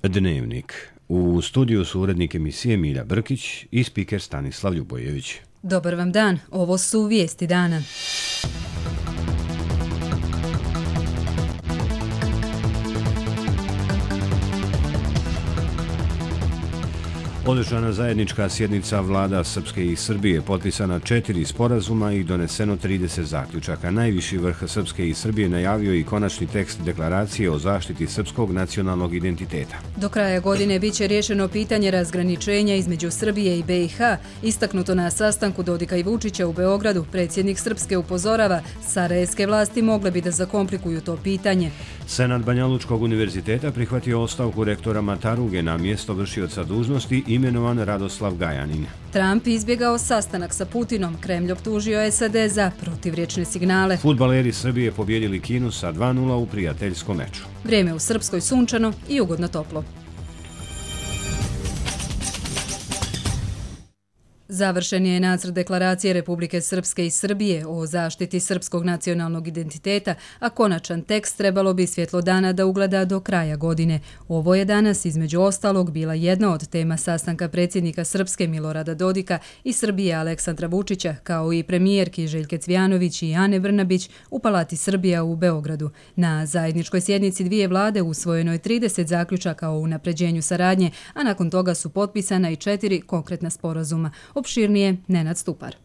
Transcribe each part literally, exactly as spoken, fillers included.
Dnevnik. U studiju su urednik emisije Milja Brkić i spiker Stanislav Ljubojević. Dobar vam dan, ovo su vijesti dana. Održana zajednička sjednica vlada Srpske i Srbije, potpisana četiri sporazuma i doneseno trideset zaključaka. Najviši vrh Srpske i Srbije najavio i konačni tekst deklaracije o zaštiti srpskog nacionalnog identiteta. Do kraja godine biće riješeno pitanje razgraničenja između Srbije i B i H. Istaknuto na sastanku Dodika i Vučića u Beogradu, predsjednik Srpske upozorava, sarajevske vlasti mogle bi da zakomplikuju to pitanje. Senat Banjalučkog univerziteta prihvatio ostavku rektora Mataruge na mjesto vršioca dužnosti, imenovan Radoslav Gajanin. Trump izbjegao sastanak sa Putinom, Kremlj optužio S A D za protivriječne signale. Fudbaleri Srbije pobjedili Kinu sa dva nula u prijateljskom meču. Vrijeme u Srpskoj sunčano i ugodno toplo. Završen je nacrt deklaracije Republike Srpske i Srbije o zaštiti srpskog nacionalnog identiteta, a konačan tekst trebalo bi svjetlo dana da ugleda do kraja godine. Ovo je danas, između ostalog, bila jedna od tema sastanka predsjednika Srpske Milorada Dodika i Srbije Aleksandra Vučića, kao i premijerki Željke Cvijanović i Ane Brnabić u Palati Srbija u Beogradu. Na zajedničkoj sjednici dvije vlade usvojeno je trideset zaključaka o unapređenju saradnje, a nakon toga su potpisana i četiri konkretna sporazuma. Opširnije Nenad Stupar.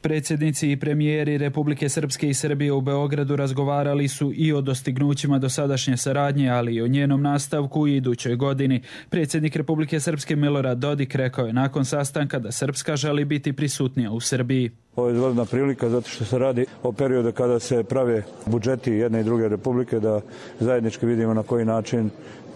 Predsjednici i premijeri Republike Srpske i Srbije u Beogradu razgovarali su i o dostignućima dosadašnje saradnje, ali i o njenom nastavku u idućoj godini. Predsjednik Republike Srpske Milorad Dodik rekao je nakon sastanka da Srpska želi biti prisutnija u Srbiji. Ovo je izvanredna prilika zato što se radi o periodu kada se prave budžeti jedne i druge republike, da zajednički vidimo na koji način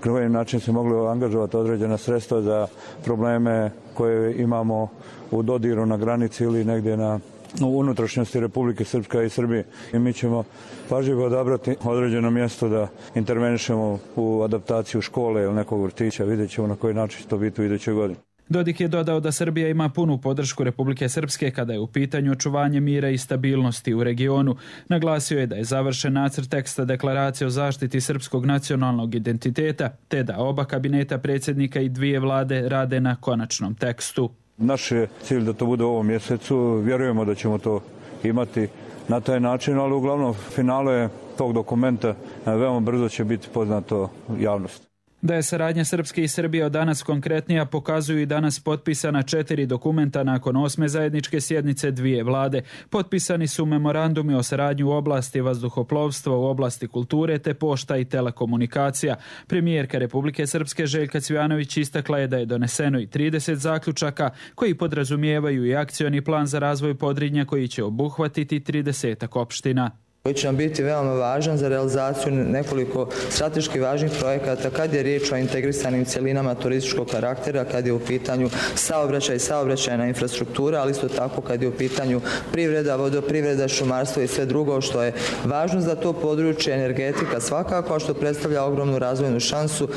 na koji način se mogli angažovati određena sredstva za probleme koje imamo u dodiru na granici ili negdje na u unutrašnjosti Republike Srpska i Srbije. I mi ćemo pažljivo odabrati određeno mjesto da intervenišemo u adaptaciju škole ili nekog vrtića. Vidjet ćemo na koji način će to biti u idućoj godini. Dodik je dodao da Srbija ima punu podršku Republike Srpske kada je u pitanju očuvanje mira i stabilnosti u regionu. Naglasio je da je završen nacrt teksta deklaracije o zaštiti srpskog nacionalnog identiteta, te da oba kabineta predsjednika i dvije vlade rade na konačnom tekstu. Naš je cilj da to bude u ovom mjesecu. Vjerujemo da ćemo to imati na taj način, ali uglavnom finale tog dokumenta veoma brzo će biti poznato javnosti. Da je saradnja Srpske i Srbije od danas konkretnija pokazuju i danas potpisana četiri dokumenta nakon osme zajedničke sjednice dvije vlade. Potpisani su memorandumi o saradnji u oblasti vazduhoplovstva, u oblasti kulture te pošta i telekomunikacija. Premijerka Republike Srpske Željka Cvijanović istakla je da je doneseno i trideset zaključaka koji podrazumijevaju i akcioni plan za razvoj Podrinja koji će obuhvatiti tridesetak opština. Koji će nam biti veoma važan za realizaciju nekoliko strateški važnih projekata kad je riječ o integrisanim cjelinama turističkog karaktera, kad je u pitanju saobraćaj i saobraćajna infrastruktura, ali isto tako kad je u pitanju privreda, vodoprivreda, šumarstvo i sve drugo što je važno za to područje, energetika svakako, što predstavlja ogromnu razvojnu šansu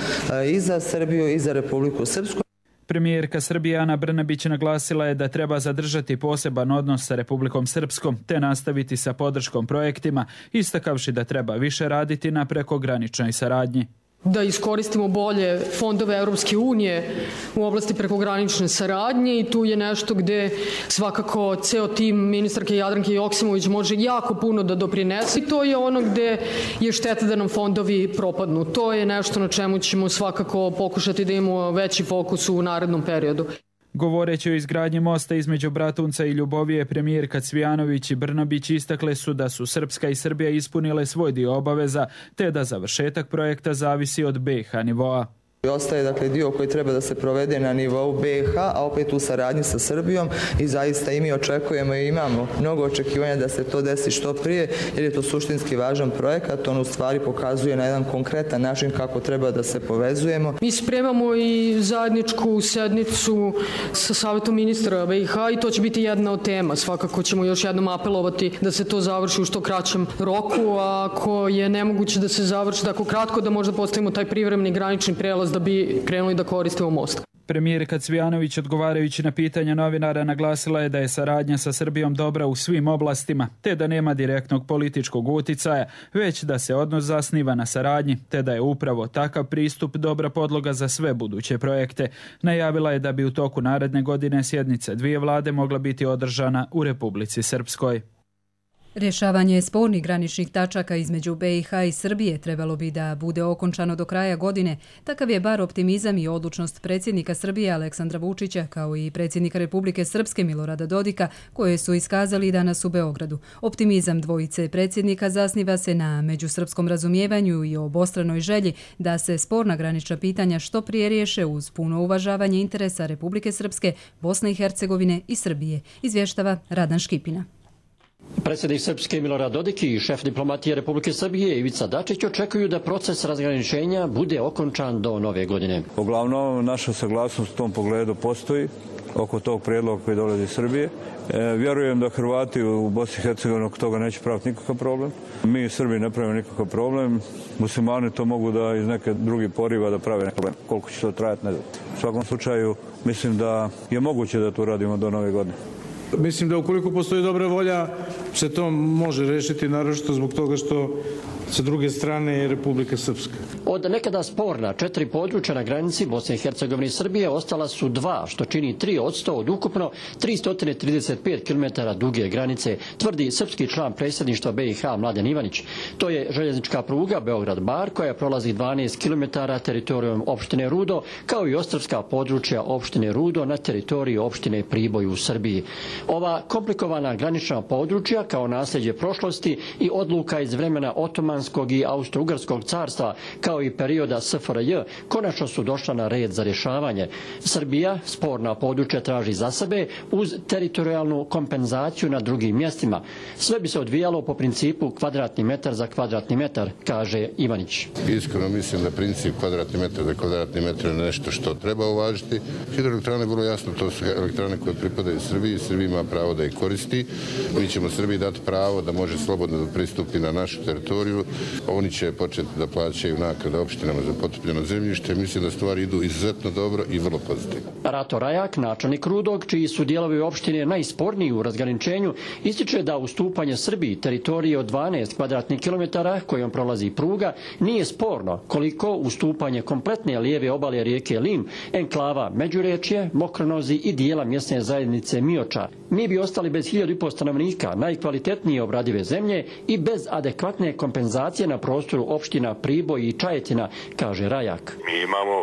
i za Srbiju i za Republiku Srpsku. Premijerka Srbije Ana Brnabić naglasila je da treba zadržati poseban odnos sa Republikom Srpskom te nastaviti sa podrškom projektima, istakavši da treba više raditi na prekograničnoj saradnji. Da iskoristimo bolje fondove Europske unije u oblasti prekogranične saradnje i tu je nešto gde svakako ceo tim ministarke Jadranke Joksimović može jako puno da doprinese i to je ono gde je šteta da nam fondovi propadnu. To je nešto na čemu ćemo svakako pokušati da imamo veći fokus u narednom periodu. Govoreći o izgradnji mosta između Bratunca i Ljubovije, premijerka Cvijanović i Brnabić istakle su da su Srpska i Srbija ispunile svoj dio obaveza, te da završetak projekta zavisi od B i H nivoa. Ostaje dakle dio koji treba da se provede na nivou B i H, a opet u saradnji sa Srbijom i zaista i mi očekujemo i imamo mnogo očekivanja da se to desi što prije jer je to suštinski važan projekat, on u stvari pokazuje na jedan konkretan način kako treba da se povezujemo. Mi spremamo i zajedničku sednicu sa Savjetom ministra B i H i to će biti jedna od tema. Svakako ćemo još jednom apelovati da se to završi u što kraćem roku, a ako je nemoguće da se završi tako kratko da možda postavimo taj privremeni granični prelaz da bi krenuli da koristimo most. Premijerka Cvijanović, odgovarajući na pitanja novinara, naglasila je da je saradnja sa Srbijom dobra u svim oblastima, te da nema direktnog političkog uticaja, već da se odnos zasniva na saradnji, te da je upravo takav pristup dobra podloga za sve buduće projekte. Najavila je da bi u toku naredne godine sjednica dvije vlade mogla biti održana u Republici Srpskoj. Rješavanje spornih graničnih tačaka između B i H i Srbije trebalo bi da bude okončano do kraja godine. Takav je bar optimizam i odlučnost predsjednika Srbije Aleksandra Vučića, kao i predsjednika Republike Srpske Milorada Dodika, koje su iskazali danas u Beogradu. Optimizam dvojice predsjednika zasniva se na međusrpskom razumijevanju i obostranoj želji da se sporna granična pitanja što prije riješe uz puno uvažavanje interesa Republike Srpske, Bosne i Hercegovine i Srbije, izvještava Radan Škipina. Predsjednik Srpske Milorad Dodik i šef diplomatije Republike Srbije Ivica Dačić očekuju da proces razgraničenja bude okončan do nove godine. Uglavnom, naša saglasnost u tom pogledu postoji oko tog prijedloga koji dolazi iz Srbije. E, vjerujem da Hrvati u Bosni i Hercegovini oko toga neće praviti nikakav problem. Mi Srbi ne pravimo nikakav problem. Muslimani to mogu da iz neke drugi poriva da prave nekakav problem. Koliko će to trajati, ne znam. U svakom slučaju, mislim da je moguće da to radimo do nove godine. Mislim da ukoliko postoji dobra volja se to može rešiti, naročito zbog toga što sa druge strane je Republika Srpska. Od nekada sporna četiri područja na granici Bosne i Hercegovine i Srbije ostala su dva, što čini tri odsto od ukupno tristo trideset pet kilometara duge granice, tvrdi srpski član predsjedništva B i H Mladen Ivanić. To je željeznička pruga Beograd-Bar koja prolazi dvanaest kilometara teritorijom opštine Rudo, kao i ostrvska područja opštine Rudo na teritoriji opštine Priboj u Srbiji. Ova komplikovana granična područja kao nasljeđe prošlosti i odluka iz vremena Otomanskog i Austro-Ugarskog carstva, kao i perioda S F R J, konačno su došla na red za rješavanje. Srbija sporna područja traži za sebe uz teritorijalnu kompenzaciju na drugim mjestima. Sve bi se odvijalo po principu kvadratni metar za kvadratni metar, kaže Ivanić. Iskreno mislim da princip kvadratni metar za kvadratni metar je nešto što treba uvažiti. Hidroelektrane, vrlo jasno, to su elektrane koje pripadaju Srbiji. Srbija ima pravo da ih koristi. Mi ćemo Srbiji dati pravo da može slobodno da pristupi na našu teritoriju. Oni će početi da plaćaju naknade opštinama za potopljeno zemljište. Mislim da stvari idu izuzetno dobro i vrlo pozitivno. Rato Rajak, načelnik Rudog, čiji su dijelovi opštine najsporniji u razgraničenju, ističe da ustupanje Srbiji teritorije od dvanaest kvadratnih kilometara kojom prolazi pruga nije sporno, koliko ustupanje kompletne lijeve obale rijeke Lim, enklava Međurečje, Mokronozi i dijela mjesne zajednice Mioča. Mi bi ostali bez hiljadu i po stanovnika, najkvalitetnije obradive zemlje i bez adekvatne kompenzacije na prostoru opština Priboj i Čajetina, kaže Rajak. Mi imamo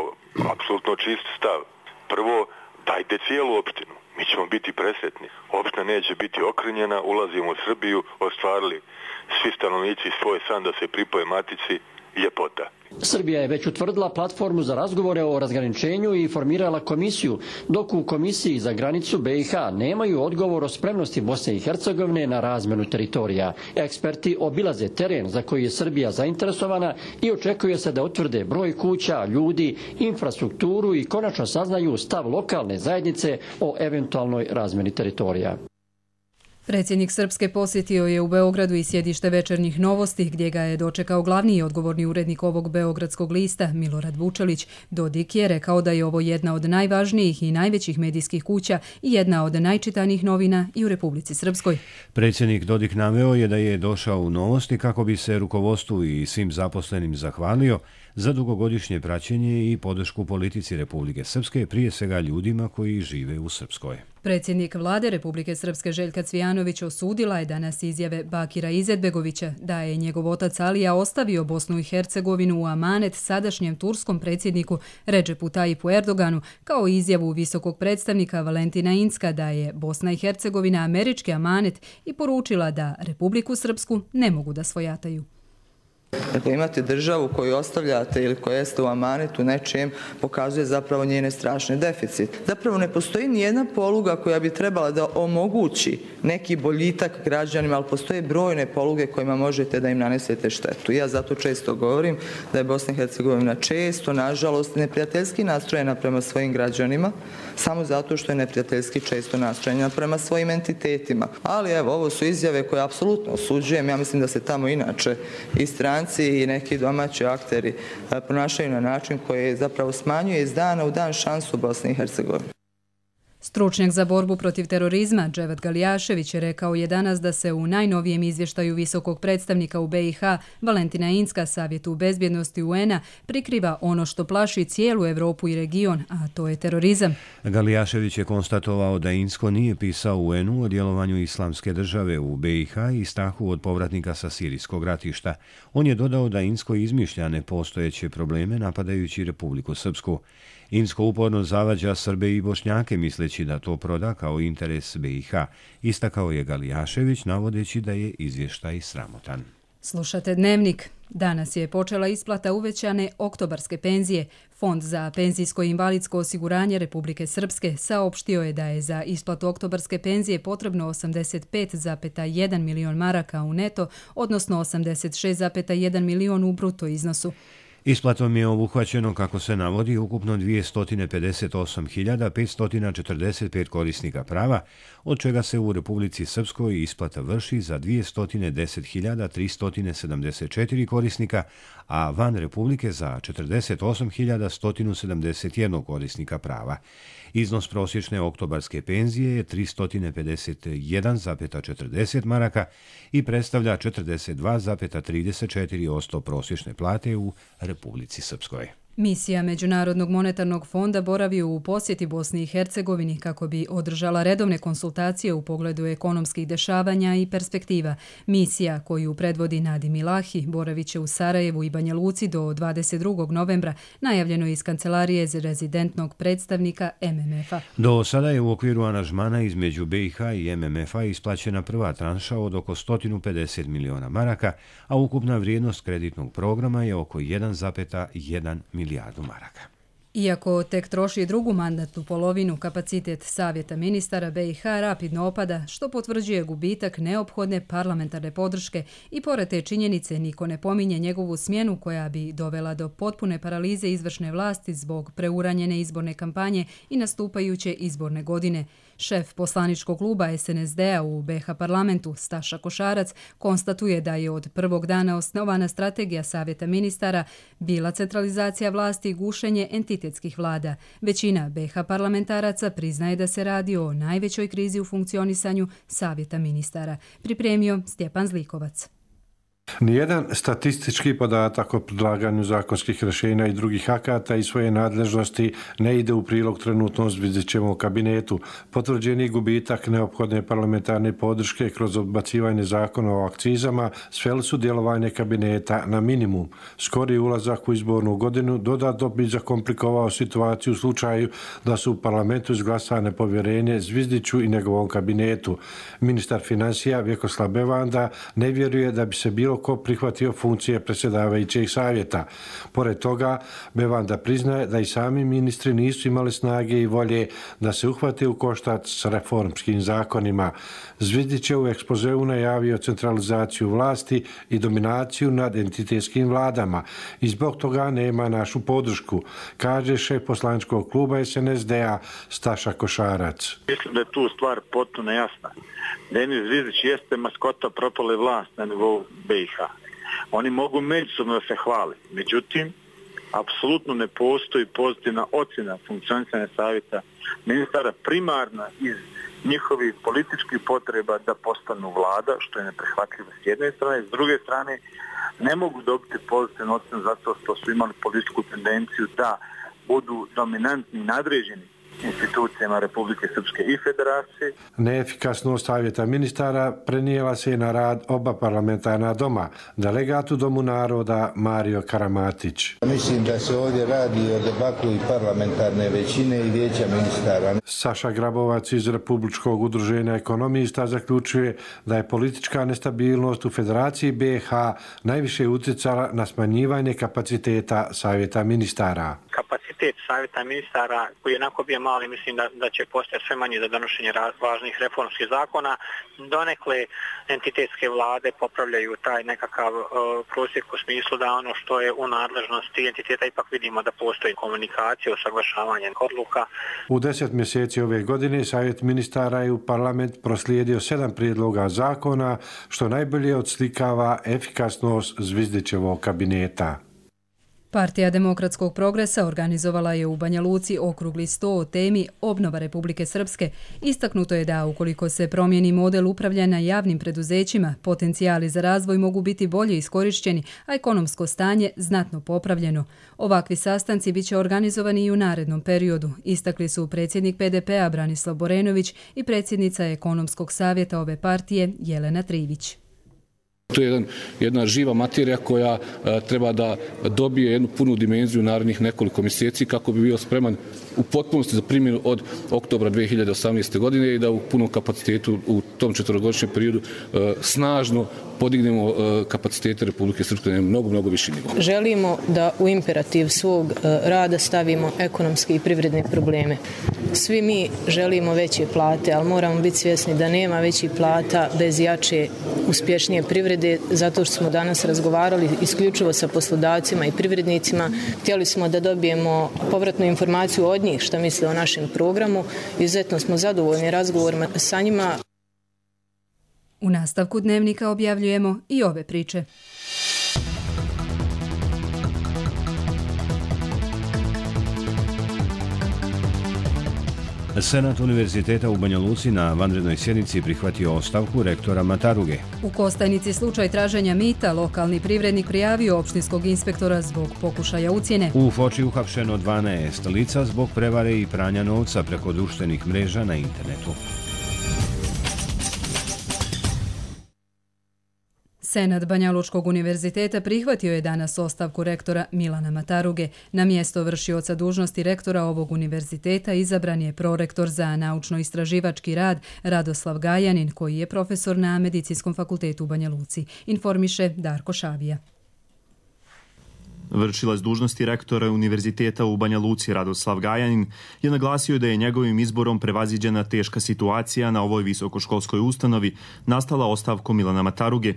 apsolutno čist stav. Prvo, dajte cijelu opštinu. Mi ćemo biti presretni. Opština neće biti okrnjena, ulazimo u Srbiju, ostvarili svi stanovnici svoj san da se pripoje matici, ljepota. Srbija je već utvrdila platformu za razgovore o razgraničenju i formirala komisiju, dok u komisiji za granicu B i H nemaju odgovor o spremnosti Bosne i Hercegovine na razmjenu teritorija. Eksperti obilaze teren za koji je Srbija zainteresovana i očekuje se da utvrde broj kuća, ljudi, infrastrukturu i konačno saznaju stav lokalne zajednice o eventualnoj razmjeni teritorija. Predsjednik Srpske posjetio je u Beogradu i sjedište Večernjih novosti, gdje ga je dočekao glavni i odgovorni urednik ovog beogradskog lista, Milorad Vučelić. Dodik je rekao da je ovo jedna od najvažnijih i najvećih medijskih kuća i jedna od najčitanijih novina i u Republici Srpskoj. Predsjednik Dodik naveo je da je došao u Novosti kako bi se rukovodstvu i svim zaposlenim zahvalio za dugogodišnje praćenje i podršku politici Republike Srpske, prije svega ljudima koji žive u Srpskoj. Predsjednik vlade Republike Srpske Željka Cvijanović osudila je danas izjave Bakira Izetbegovića da je njegov otac Alija ostavio Bosnu i Hercegovinu u amanet sadašnjem turskom predsjedniku Redžepu Tajipu Erdoganu, kao izjavu visokog predstavnika Valentina Incka da je Bosna i Hercegovina američki amanet i poručila da Republiku Srpsku ne mogu da svojataju. Dakle, imate državu koju ostavljate ili koja jeste u amanetu nečijem, pokazuje zapravo njene strašne deficit. Zapravo ne postoji nijedna poluga koja bi trebala da omogući neki boljitak građanima, ali postoje brojne poluge kojima možete da im nanesete štetu. Ja zato često govorim da je Bosna i Hercegovina često, nažalost, neprijateljski nastrojena prema svojim građanima, samo zato što je neprijateljski često nastrojena prema svojim entitetima. Ali evo, ovo su izjave koje apsolutno osuđujem. Ja mislim da se tamo inače i strani stranci i neki domaći akteri ponašaju na način koji zapravo smanjuje iz dana u dan šansu Bosne i Hercegovine. Stručnjak za borbu protiv terorizma Dževat Galijašević je rekao je danas da se u najnovijem izvještaju visokog predstavnika u B i H Valentina Inzka Savjetu bezbjednosti U N-a prikriva ono što plaši cijelu Evropu i region, a to je terorizam. Galijašević je konstatovao da Inzko nije pisao U N-u o djelovanju islamske države u B i H i strahu od povratnika sa sirijskog ratišta. On je dodao da Inzko izmišlja nepostojeće probleme napadajući Republiku Srpsku. Inzko uporno zavađa Srbe i Bošnjake misleći da to proda kao interes B i H. Istakao je Galijašević navodeći da je izvještaj sramotan. Slušate Dnevnik. Danas je počela isplata uvećane oktobarske penzije. Fond za penzijsko i invalidsko osiguranje Republike Srpske saopštio je da je za isplatu oktobarske penzije potrebno osamdeset pet zarez jedan milion maraka u neto, odnosno osamdeset šest zarez jedan milion u bruto iznosu. Isplatom je obuhvaćeno, kako se navodi, ukupno dvjesto pedeset osam hiljada petsto četrdeset pet korisnika prava, od čega se u Republici Srpskoj isplata vrši za dvjesto deset hiljada tristo sedamdeset četiri korisnika, a van Republike za četrdeset osam hiljada sto sedamdeset jedan korisnika prava. Iznos prosječne oktobarske penzije je tristo pedeset jedan zarez četrdeset maraka i predstavlja četrdeset dva zarez trideset četiri posto prosječne plate u Republici Srpskoj. Misija Međunarodnog monetarnog fonda boravi u posjeti Bosni i Hercegovini kako bi održala redovne konsultacije u pogledu ekonomskih dešavanja i perspektiva. Misija, koju predvodi Nadim Ilahi, boravit će u Sarajevu i Banja Luci do dvadeset drugog novembra, najavljeno iz kancelarije za rezidentnog predstavnika M M F-a. Do sada je u okviru aranžmana između B i H i M M F-a isplaćena prva tranša od oko sto pedeset miliona maraka, a ukupna vrijednost kreditnog programa je oko jedan zarez jedan milijardu maraka. Iako tek troši drugu mandatnu polovinu, kapacitet Savjeta ministara B i H rapidno opada, što potvrđuje gubitak neophodne parlamentarne podrške i pored te činjenice niko ne pominje njegovu smjenu koja bi dovela do potpune paralize izvršne vlasti zbog preuranjene izborne kampanje i nastupajuće izborne godine. Šef poslaničkog kluba S N S D-a u B H parlamentu, Staša Košarac, konstatuje da je od prvog dana osnovana strategija Savjeta ministara bila centralizacija vlasti i gušenje entitetskih vlada. Većina B H parlamentaraca priznaje da se radi o najvećoj krizi u funkcionisanju Savjeta ministara. Pripremio Stjepan Zlikovac. Nijedan statistički podatak o predlaganju zakonskih rješenja i drugih akata i svoje nadležnosti ne ide u prilog trenutnom Zvizdićevom kabinetu. Potvrđeni gubitak neophodne parlamentarne podrške kroz odbacivanje zakona o akcizama sveli su djelovanje kabineta na minimum. Skori ulazak u izbornu godinu dodatno bi zakomplikovao situaciju u slučaju da su u parlamentu izglasane povjerenje Zvizdiću i njegovom kabinetu. Ministar financija Vjekoslav Bevanda ne vjeruje da bi se bilo ko prihvatio funkcije predsjedavajućeg savjeta. Pored toga, Bevanda priznaje da i sami ministri nisu imali snage i volje da se uhvate u koštac s reformskim zakonima. Zvizdić je u ekspozeu najavio centralizaciju vlasti i dominaciju nad entitetskim vladama i zbog toga nema našu podršku, kaže šef poslaničkog kluba S N S D-a Staša Košarac. Mislim da je tu stvar potpuno jasna. Denis Zvizdić jeste maskota propale vlasti na nivou B i H. Oni mogu međusobno da se hvali. Međutim, apsolutno ne postoji pozitivna ocjena funkcionisanja savjeta ministara primarna iz njihovih političkih potreba da postanu vlada, što je neprihvatljivo s jedne strane. S druge strane, ne mogu dobiti pozitivnu ocjenu zato što su imali političku tendenciju da budu dominantni i nadređeni institucijama Republike Srpske i Federacije. Neefikasnost savjeta ministara prenijela se na rad oba parlamentarna doma, delegat u Domu naroda Mario Karamatić. Mislim da se ovdje radi o debaklu i parlamentarne većine i vijeća ministara. Saša Grabovac iz Republičkog udruženja ekonomista zaključuje da je politička nestabilnost u Federaciji B i H najviše utjecala na smanjivanje kapaciteta savjeta ministara. Kapacitet kapacitet savjeta ministara koji je onako bio mali, mislim da, da će postati sve manje za donošenje važnih reformskih zakona. Donekle entitetske vlade popravljaju taj nekakav uh, prosjek u smislu da ono što je u nadležnosti entiteta ipak vidimo da postoji komunikacija, usaglašavanje odluka. U deset mjeseci ove godine savjet ministara je u parlament proslijedio sedam prijedloga zakona, što najbolje odslikava efikasnost Zvizdićevog kabineta. Partija demokratskog progresa organizovala je u Banja Luci okrugli sto o temi Obnova Republike Srpske. Istaknuto je da ukoliko se promijeni model upravljanja javnim preduzećima, potencijali za razvoj mogu biti bolje iskorišćeni, a ekonomsko stanje znatno popravljeno. Ovakvi sastanci biće organizovani i u narednom periodu, istakli su predsjednik P D P-a Branislav Borenović i predsjednica ekonomskog savjeta ove partije Jelena Trivić. To je jedan, jedna živa materija koja a, treba da dobije jednu punu dimenziju narednih nekoliko mjeseci kako bi bio spreman u potpunosti za primjenu od oktobra dvije hiljade osamnaeste. godine i da u punom kapacitetu u tom četvorogodišnjem periodu a, snažno podignemo a, kapacitete Republike Srpske na mnogo, mnogo viši nivo. Želimo da u imperativ svog a, rada stavimo ekonomske i privredne probleme. Svi mi želimo veće plate, ali moramo biti svjesni da nema većih plata bez jače, uspješnije privrede. Zato što smo danas razgovarali isključivo sa poslodavcima i privrednicima. Htjeli smo da dobijemo povratnu informaciju od njih što misle o našem programu. Izuzetno smo zadovoljni razgovorima sa njima. U nastavku dnevnika objavljujemo i ove priče. Senat Univerziteta u Banja Luci na vanrednoj sjednici prihvatio ostavku rektora Mataruge. U Kostajnici slučaj traženja mita, lokalni privrednik prijavio opštinskog inspektora zbog pokušaja ucjene. U Foči uhapšeno dvanaest lica zbog prevare i pranja novca preko društvenih mreža na internetu. Senat Banja Lučkog univerziteta prihvatio je danas ostavku rektora Milana Mataruge. Na mjesto vršioca dužnosti rektora ovog univerziteta izabran je prorektor za naučno-istraživački rad Radoslav Gajanin, koji je profesor na Medicinskom fakultetu u Banja Luci. Informiše Darko Šavija. Vršilac dužnosti rektora Univerziteta u Banja Luci Radoslav Gajanin je naglasio da je njegovim izborom prevaziđena teška situacija na ovoj visokoškolskoj ustanovi nastala ostavkom Milana Mataruge,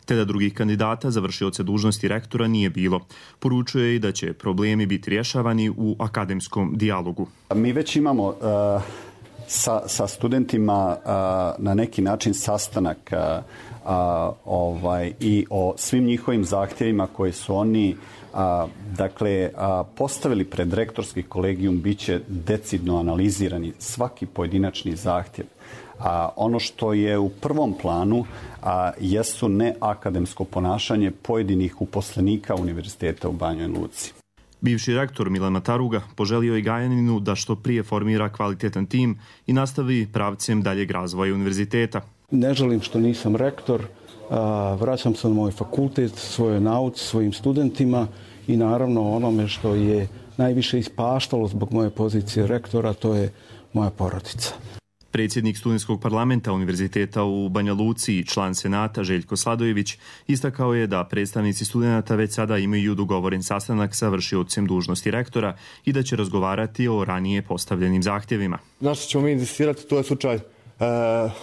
te da drugih kandidata za vršioce dužnosti rektora nije bilo. Poručuje i da će problemi biti rješavani u akademskom dijalogu. Mi već imamo uh, sa, sa studentima uh, na neki način sastanak uh, uh, ovaj, i o svim njihovim zahtjevima koji su oni A, dakle, a, postavili pred rektorski kolegijum, bit će decidno analizirani svaki pojedinačni zahtjev. A ono što je u prvom planu a, jesu neakademsko ponašanje pojedinih uposlenika Univerziteta u Banjoj Luci. Bivši rektor Milan Mataruga poželio je Gajaninu da što prije formira kvalitetan tim i nastavi pravcem daljeg razvoja univerziteta. Ne želim što nisam rektor. Vraćam se na moj fakultet, svojoj nauci, svojim studentima i naravno onome što je najviše ispaštalo zbog moje pozicije rektora, to je moja porodica. Predsjednik studentskog parlamenta Univerziteta u Banja Luci i član Senata Željko Sladojević istakao je da predstavnici studenata već sada imaju dogovoren sastanak sa vršiocem dužnosti rektora i da će razgovarati o ranije postavljenim zahtjevima. Na što ćemo mi insistirati, to je slučaj e,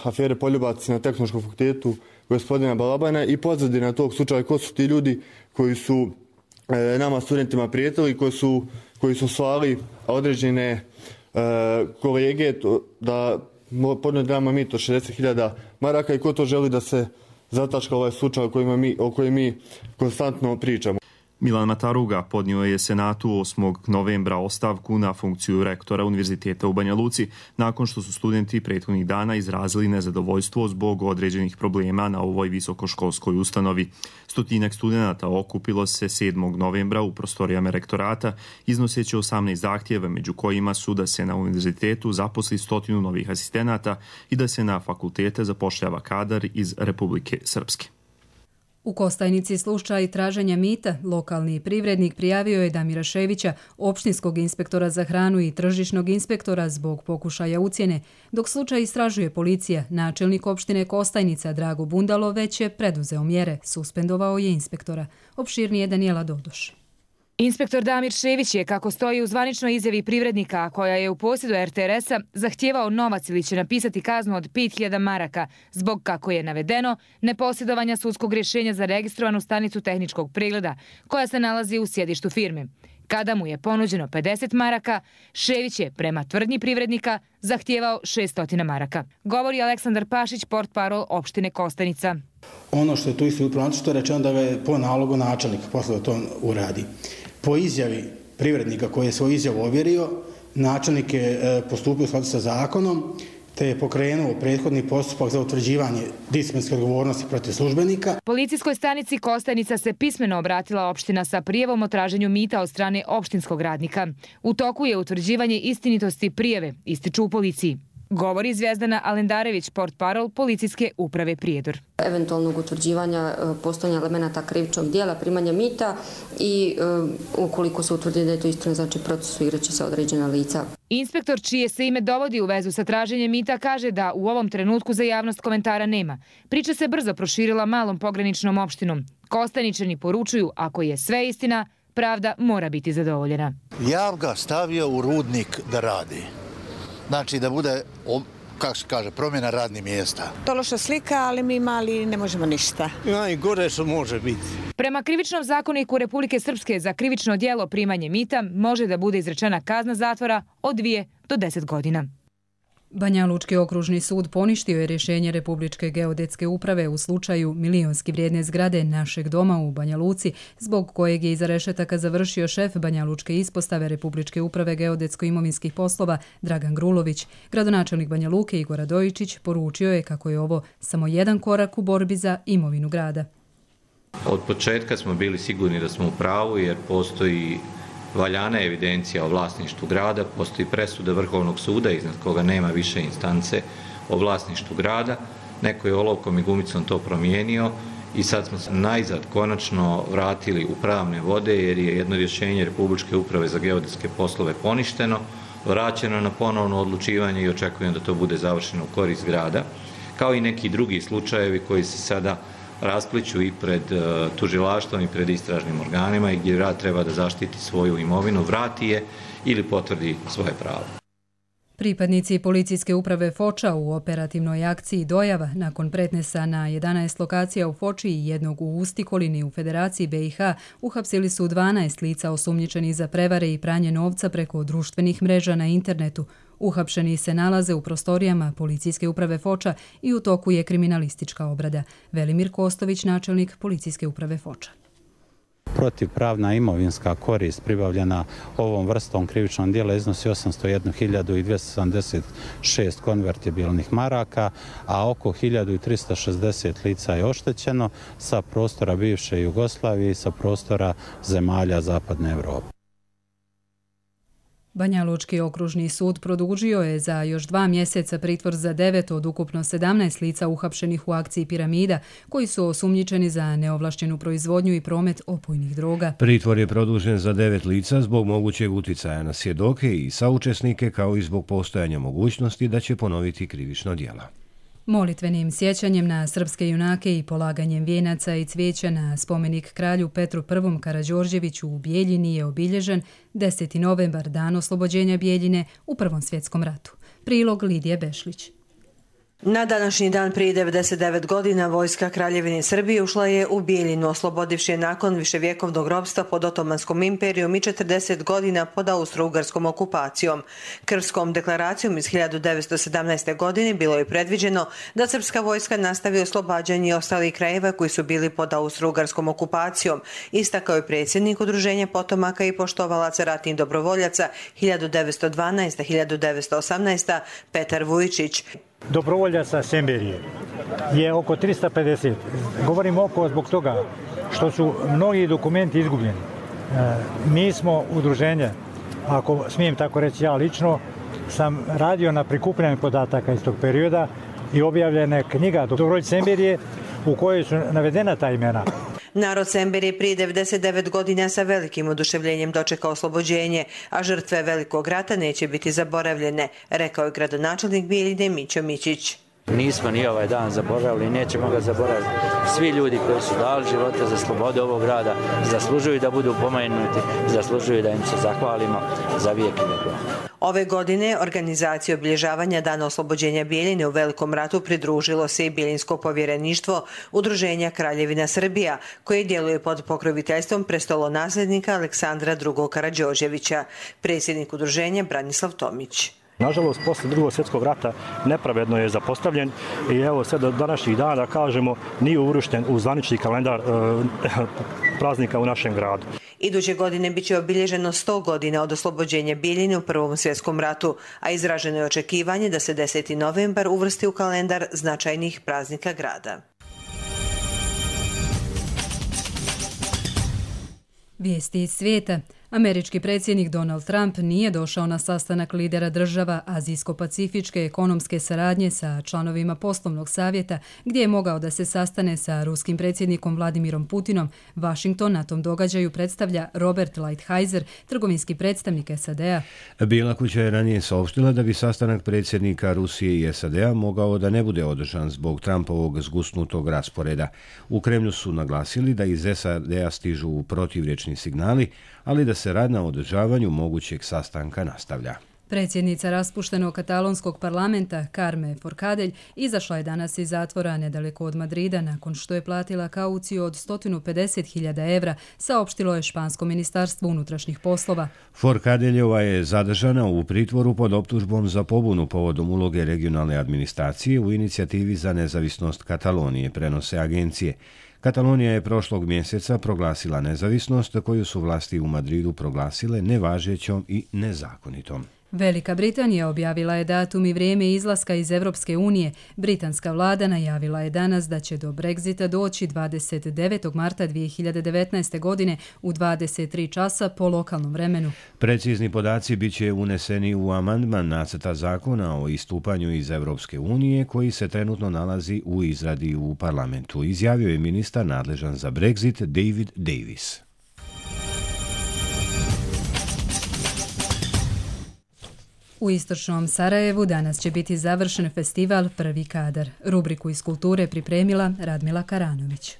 afere Poljubac na Tehnološkom fakultetu gospodina Balabana i pozadina tog slučaja ko su ti ljudi koji su e, nama studentima prijetili, koji su, koji su slali određene e, kolege to, da podnijeti nama mito šezdeset hiljada maraka i ko to želi da se zataška ovaj slučaj o kojem mi, o kojem mi konstantno pričamo. Milan Mataruga podnio je Senatu osmog novembra ostavku na funkciju rektora Univerziteta u Banja Luci nakon što su studenti prethodnih dana izrazili nezadovoljstvo zbog određenih problema na ovoj visokoškolskoj ustanovi. Stotinak studenata okupilo se sedmog novembra u prostorijama rektorata iznoseći osamnaest zahtjeva, među kojima su da se na univerzitetu zaposli stotinu novih asistenata i da se na fakultete zapošljava kadar iz Republike Srpske. U Kostajnici slučaj traženja mita, lokalni privrednik prijavio je Damira Ševića, opštinskog inspektora za hranu i tržišnog inspektora zbog pokušaja ucjene. Dok slučaj istražuje policija, načelnik opštine Kostajnica Drago Bundalo već je preduzeo mjere, suspendovao je inspektora. Opširnije Danijela Dodoš. Inspektor Damir Šević je, kako stoji u zvaničnoj izjavi privrednika koja je u posjedu er te er es-a, zahtijevao novac ili će napisati kaznu od pet hiljada maraka zbog, kako je navedeno, neposjedovanja sudskog rješenja za registrovanu stanicu tehničkog pregleda koja se nalazi u sjedištu firme. Kada mu je ponuđeno pedeset maraka, Šević je, prema tvrdnji privrednika, zahtijevao šessto maraka. Govori Aleksandar Pašić, portparol opštine Kostajnica. Ono što je tu isto upravo, što je rečeno da ga je po nalogu načelnik posle da to uradi. Po izjavi privrednika koji je svoju izjavu ovjerio, načelnik je postupio u skladu sa zakonom, te je pokrenuo prethodni postupak za utvrđivanje disciplinske odgovornosti protiv službenika. Policijskoj stanici Kostajnica se pismeno obratila opština sa prijavom o traženju mita od strane opštinskog radnika. U toku je utvrđivanje istinitosti prijave, ističu u policiji. Govori Zvijezdana Alendarević, portparol policijske uprave Prijedor. Eventualnog utvrđivanja postojanja elemenata krivičnog dijela, primanja mita i ukoliko se utvrdi da je to istina, znači procesuiraće se određena lica. Inspektor, čije se ime dovodi u vezu sa traženjem mita, kaže da u ovom trenutku za javnost komentara nema. Priča se brzo proširila malom pograničnom opštinom. Kostajničani poručuju, ako je sve istina, pravda mora biti zadovoljena. Ja ga stavio u rudnik da radi. Znači da bude, kako se kaže, promjena radnih mjesta. To loša slika, ali mi mali ne možemo ništa. Najgore što može biti. Prema krivičnom zakoniku Republike Srpske za krivično djelo primanje mita može da bude izrečena kazna zatvora od dvije do deset godina. Banja Lučki okružni sud poništio je rješenje Republičke geodetske uprave u slučaju milionski vrijedne zgrade Našeg doma u Banja Luci, zbog kojeg je iza rešetaka završio šef Banja Lučke ispostave Republičke uprave geodetsko-imovinskih poslova Dragan Grulović. Gradonačelnik Banja Luke Igor Radojičić poručio je kako je ovo samo jedan korak u borbi za imovinu grada. Od početka smo bili sigurni da smo u pravu jer postoji valjana evidencija o vlasništvu grada, postoji presuda Vrhovnog suda iznad koga nema više instance o vlasništvu grada. Neko je olovkom i gumicom to promijenio i sad smo se najzad konačno vratili u pravne vode jer je jedno rješenje Republičke uprave za geodetske poslove poništeno, vraćeno na ponovno odlučivanje i očekujem da to bude završeno u korist grada, kao i neki drugi slučajevi koji se sada raspliću i pred tužilaštvom i pred istražnim organima i gdje grad treba da zaštiti svoju imovinu, vrati je ili potvrdi svoje pravo. Pripadnici policijske uprave Foča u operativnoj akciji Dojava nakon pretnesa na jedanaest lokacija u Foči i jednog u Ustikolini u Federaciji be i ha uhapsili su dvanaest lica osumnjičenih za prevare i pranje novca preko društvenih mreža na internetu. Uhapšeni se nalaze u prostorijama policijske uprave Foča i u toku je kriminalistička obrada. Velimir Kostović, načelnik policijske uprave Foča. Protivpravna imovinska korist pribavljena ovom vrstom krivičnog djela iznosi osamsto jednu hiljadu dvjesto sedamdeset šest konvertibilnih maraka, a oko hiljadu trista šezdeset lica je oštećeno sa prostora bivše Jugoslavije i sa prostora zemalja Zapadne Evrope. Banja Lučki okružni sud produžio je za još dva mjeseca pritvor za devet od ukupno sedamnaest lica uhapšenih u akciji Piramida, koji su osumnjičeni za neovlašćenu proizvodnju i promet opojnih droga. Pritvor je produžen za devet lica zbog mogućeg uticaja na svjedoke i saučesnike, kao i zbog postojanja mogućnosti da će ponoviti krivično djelo. Molitvenim sjećanjem na srpske junake i polaganjem vijenaca i cvijeća na spomenik kralju Petru I. Karađorđeviću u Bijeljini je obilježen deseti novembar, dan oslobođenja Bijeljine u Prvom svjetskom ratu. Prilog Lidije Bešlić. Na današnji dan prije devedeset devet godina vojska Kraljevine Srbije ušla je u Bijeljinu, oslobodivši je nakon viševjekovnog ropstva pod Otomanskom imperijom i četrdeset godina pod austro-ugarskom okupacijom. Krvskom deklaracijom iz hiljadu devetsto sedamnaeste. godine bilo je predviđeno da srpska vojska nastavi oslobađanje ostalih krajeva koji su bili pod austro-ugarskom okupacijom, istakao je predsjednik Udruženja potomaka i poštovalaca ratnih dobrovoljaca hiljadu devetsto dvanaeste. do hiljadu devetsto osamnaeste. Petar Vujčić. Dobrovoljaca Semberije je oko trista pedeset. Govorim oko zbog toga što su mnogi dokumenti izgubljeni. Mi smo udruženje, ako smijem tako reći ja lično, sam radio na prikupljanju podataka iz tog perioda i objavljena je knjiga Dobrovoljac Semberije u kojoj su navedena ta imena. Narod Semberije prije devedeset devet godina sa velikim oduševljenjem dočekao oslobođenje, a žrtve Velikog rata neće biti zaboravljene, rekao je gradonačelnik Bijeljine Mićo Mićić. Nismo ni ovaj dan zaboravili, nećemo ga zaboraviti. Svi ljudi koji su dali živote za slobodu ovog grada zaslužuju da budu pomenuti, zaslužuju da im se zahvalimo za vijek i vijekova. Ove godine organizaciji obilježavanja Dana oslobođenja Bjeljine u Velikom ratu pridružilo se i Bjeljinsko povjereništvo Udruženja Kraljevina Srbija, koje djeluje pod pokroviteljstvom prestolonasljednika Aleksandra drugog Karađorđevića. Predsjednik udruženja Branislav Tomić. Nažalost, posle drugog svjetskog rata nepravedno je zapostavljen i evo sve do današnjih dana, da kažemo, nije uvršten u zvanični kalendar e, praznika u našem gradu. Iduće godine bit će obilježeno sto godina od oslobođenja Bjeljine u Prvom svjetskom ratu, a izraženo je očekivanje da se deseti novembar uvrsti u kalendar značajnih praznika grada. Vijesti iz svijeta. Američki predsjednik Donald Trump nije došao na sastanak lidera država Azijsko-pacifičke ekonomske saradnje sa članovima poslovnog savjeta, gdje je mogao da se sastane sa ruskim predsjednikom Vladimirom Putinom. Washington na tom događaju predstavlja Robert Lighthizer, trgovinski predstavnik S A D-a. Bijela kuća je ranije saopštila da bi sastanak predsjednika Rusije i S A D-a mogao da ne bude održan zbog Trumpovog zgusnutog rasporeda. U Kremlju su naglasili da iz S A D-a stižu protivrječni signali, ali da se rad na održavanju mogućeg sastanka nastavlja. Predsjednica raspuštenog katalonskog parlamenta Carme Forcadell izašla je danas iz zatvora nedaleko od Madrida nakon što je platila kauciju od sto pedeset hiljada evra, saopštilo je špansko ministarstvo unutrašnjih poslova. Forcadelljova je zadržana u pritvoru pod optužbom za pobunu povodom uloge regionalne administracije u inicijativi za nezavisnost Katalonije, prenose agencije. Katalonija je prošlog mjeseca proglasila nezavisnost koju su vlasti u Madridu proglasile nevažećom i nezakonitom. Velika Britanija objavila je datum i vrijeme izlaska iz Europske unije. Britanska vlada najavila je danas da će do Brexita doći dvadeset devetog marta dvije hiljade devetnaeste. godine u dvadeset tri časa po lokalnom vremenu. Precizni podaci bit će uneseni u amandman nacrta zakona o istupanju iz Europske unije koji se trenutno nalazi u izradi u parlamentu, izjavio je ministar nadležan za Brexit David Davis. U istočnom Sarajevu danas će biti završen festival Prvi kadar. Rubriku iz kulture pripremila Radmila Karanović.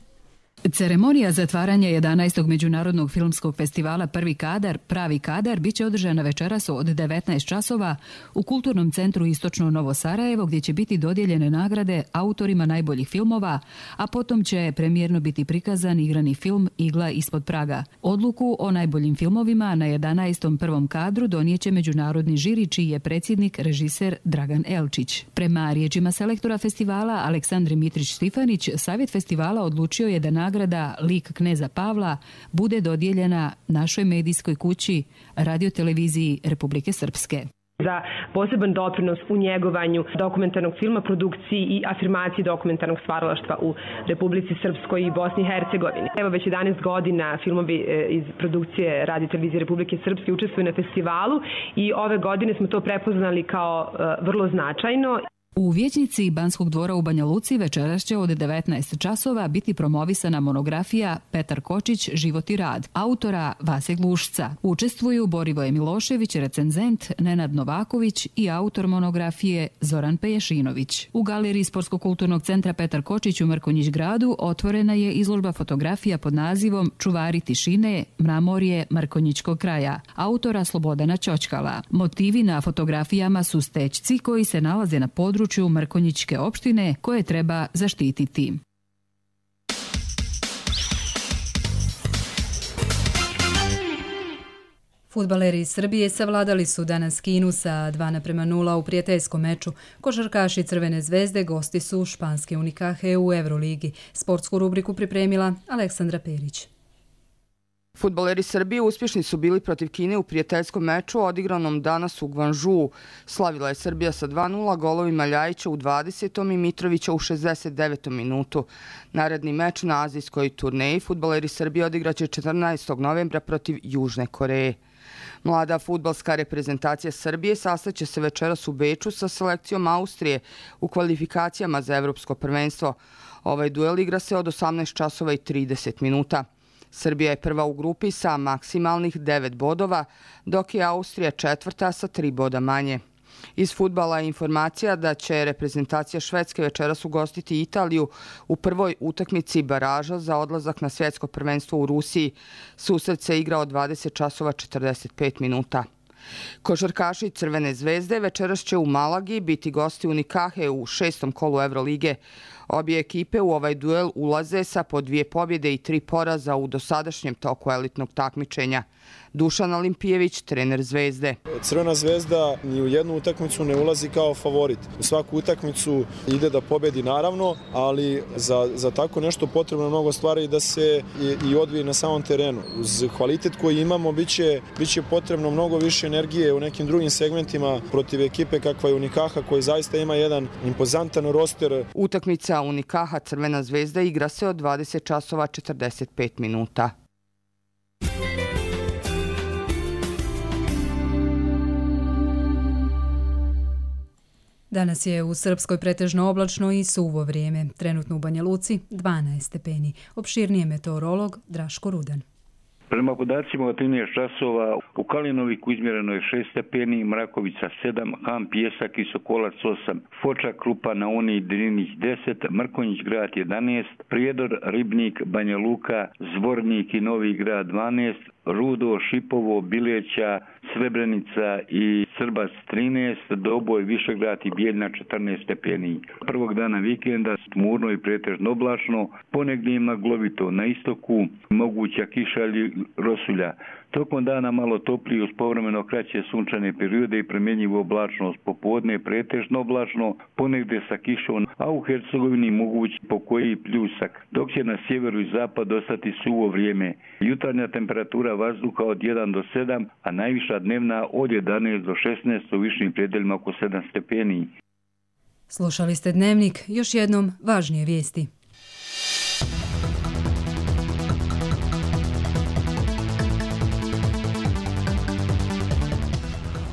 Ceremonija zatvaranja jedanaestog međunarodnog filmskog festivala Prvi kadar, Pravi kadar, bit će održana večeras od devetnaest časova u Kulturnom centru Istočno Novo Sarajevo, gdje će biti dodijeljene nagrade autorima najboljih filmova, a potom će premijerno biti prikazan igrani film Igla ispod praga. Odluku o najboljim filmovima na jedanaestom prvom kadru donijeće međunarodni žiri, čiji je predsjednik režiser Dragan Elčić. Prema riječima selektora festivala Aleksandri Mitrić-Stifanić, savjet festivala odlučio je da nagrada Lik kneza Pavla bude dodijeljena našoj medijskoj kući Radio-televiziji Republike Srpske. Za poseban doprinos u njegovanju dokumentarnog filma, produkciji i afirmaciji dokumentarnog stvaralaštva u Republici Srpskoj i Bosni i Hercegovini. Evo već jedanaest godina filmovi iz produkcije Radio-televizije Republike Srpske učestvuju na festivalu i ove godine smo to prepoznali kao vrlo značajno. U vijećnici Banskog dvora u Banja Luci večeras će od devetnaest časova biti promovisana monografija Petar Kočić, Život i rad, autora Vase Glušca. Učestvuju Borivoje Milošević, recenzent, Nenad Novaković i autor monografije Zoran Peješinović. U galeriji Sportsko-kulturnog centra Petar Kočić u Mrkonjić gradu otvorena je izložba fotografija pod nazivom Čuvari tišine, Mramorje Mrkonjićkog kraja, autora Slobodana Ćoćkala. Motivi na fotografijama su stećci koji se nalaze na području Mrkonjićke opštine koje treba zaštititi. Fudbaleri iz Srbije savladali su danas Kinu sa dva naprema nula u prijateljskom meču. Košarkaši Crvene zvezde gosti su španske Unikahe u Euroligi. Sportsku rubriku pripremila Aleksandra Perić. Fudbaleri Srbije uspješni su bili protiv Kine u prijateljskom meču odigranom danas u Gvanžuu. Slavila je Srbija sa dva nula golovima Ljajića u dvadesetom i Mitrovića u šezdeset devetom minutu. Naredni meč na azijskoj turneji fudbaleri Srbije odigraće četrnaestog novembra protiv Južne Koreje. Mlada fudbalska reprezentacija Srbije sastaće se večeras u Beču sa selekcijom Austrije u kvalifikacijama za Evropsko prvenstvo. Ovaj duel igra se od osamnaest časova i trideset minuta. Srbija je prva u grupi sa maksimalnih devet bodova, dok je Austrija četvrta sa tri boda manje. Iz fudbala je informacija da će reprezentacija Švedske večeras ugostiti Italiju u prvoj utakmici baraža za odlazak na svjetsko prvenstvo u Rusiji. Susret se igra od dvadeset časova četrdeset pet minuta. Košarkaši Crvene zvezde večeras će u Malagi biti gosti Unikahe u šestom kolu Evrolige. Obje ekipe u ovaj duel ulaze sa po dvije pobjede i tri poraza u dosadašnjem toku elitnog takmičenja. Dušan Olimpijević, trener Zvezde. Crvena zvezda ni u jednu utakmicu ne ulazi kao favorit. U svaku utakmicu ide da pobedi naravno, ali za, za tako nešto potrebno mnogo stvari da se i, i odvije na samom terenu. Uz kvalitet koji imamo biće, biće potrebno mnogo više energije u nekim drugim segmentima protiv ekipe kakva je Unikaha koji zaista ima jedan impozantan roster. Utakmica Unikaha Crvena zvezda igra se od dvadeset časova četrdeset pet minuta. Danas je u Srpskoj pretežno oblačno i suvo vrijeme. Trenutno u Banja Luci dvanaest stepeni. Opširnije meteorolog Draško Rudan. Prema podacima od trinaest časova u Kalinoviku izmjereno je šest stepeni, Mrakovica sedam, Ham, Pjesak i Sokolac osam, Foča, Krupa, na Uni, Drinih deset, Mrkonjić grad jedanaest, Prijedor, Ribnik, Banja Luka, Zvornik i Novi grad dvanaest, Rudo, Šipovo, Bileća, Srebrenica i Srbac trinaest, Doboj, Višegrad i Bijeljna četrnaest stepeni. Prvog dana vikenda tmurno i pretežno oblačno, ponegdje maglovito na istoku, moguća kiša ili rosulja. Tokom dana malo toplije uz povremeno kraće sunčane periode i promjenjivu oblačnost. Popodne pretežno oblačno, ponegdje sa kišom, a u Hercegovini moguć pokoji pljusak, dok će na sjeveru i zapadu ostati suvo vrijeme. Jutarnja temperatura vazduha od jedan do sedam, a najviša dnevna od jedanaest do šesnaest, u višim predeljima oko sedam stepeni. Slušali ste Dnevnik, još jednom važnije vijesti.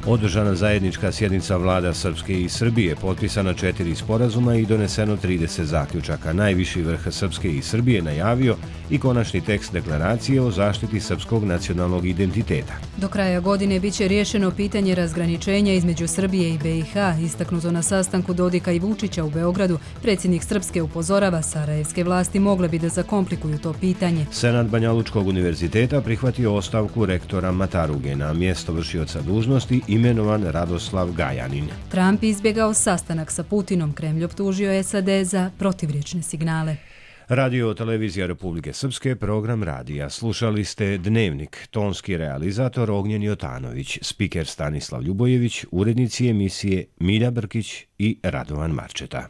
Održana zajednička sjednica vlada Srpske i Srbije, potpisana četiri sporazuma i doneseno trideset zaključaka. Najviši vrh Srpske i Srbije najavio i konačni tekst deklaracije o zaštiti srpskog nacionalnog identiteta. Do kraja godine biće riješeno pitanje razgraničenja između Srbije i B i H, istaknuto na sastanku Dodika i Vučića u Beogradu. Predsjednik Srpske upozorava, sarajevske vlasti mogle bi da zakomplikuju to pitanje. Senat Banja Lučkog univerziteta prihvatio ostavku rektora Mataruge, na mjesto vršioca dužnosti imenovan Radoslav Gajanin. Trump izbjegao sastanak sa Putinom, Kremlj optužio S A D za protivriječne signale. Radio televizija Republike Srpske, program radija. Slušali ste Dnevnik, tonski realizator Ognjen Jotanović, spiker Stanislav Ljubojević, urednici emisije Milja Brkić i Radovan Marčeta.